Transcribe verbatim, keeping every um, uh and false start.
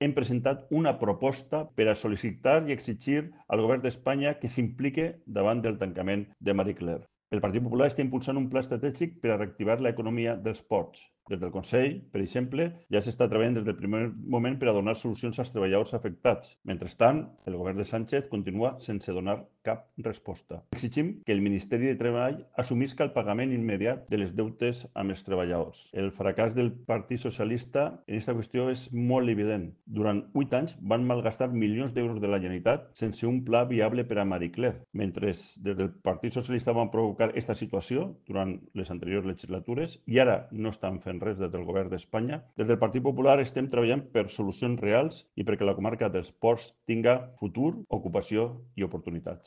Hem presentat una proposta per a sol·licitar i exigir al govern d'Espanya que s'implique davant del tancament de Marie Claire. El Partit Popular està impulsant un pla estratègic per a reactivar l'economia dels ports. Des del Consell, per exemple, ja s'està treballant des del primer moment per a donar solucions als treballadors afectats. Mentrestant, el govern de Sánchez continua sense donar cap resposta. Exigim que el Ministeri de Treball assumisca el pagament immediat de les deutes amb els treballadors. El fracàs del Partit Socialista en aquesta qüestió és molt evident. Durant vuit anys van malgastar milions d'euros de la Generalitat sense un pla viable per a Marie Claire. Mentre des del Partit Socialista van provocar aquesta situació durant les anteriors legislatures i ara no estan fent res des del govern d'Espanya, des del Partit Popular estem treballant per solucions reals i perquè la comarca dels ports tinga futur, ocupació i oportunitats.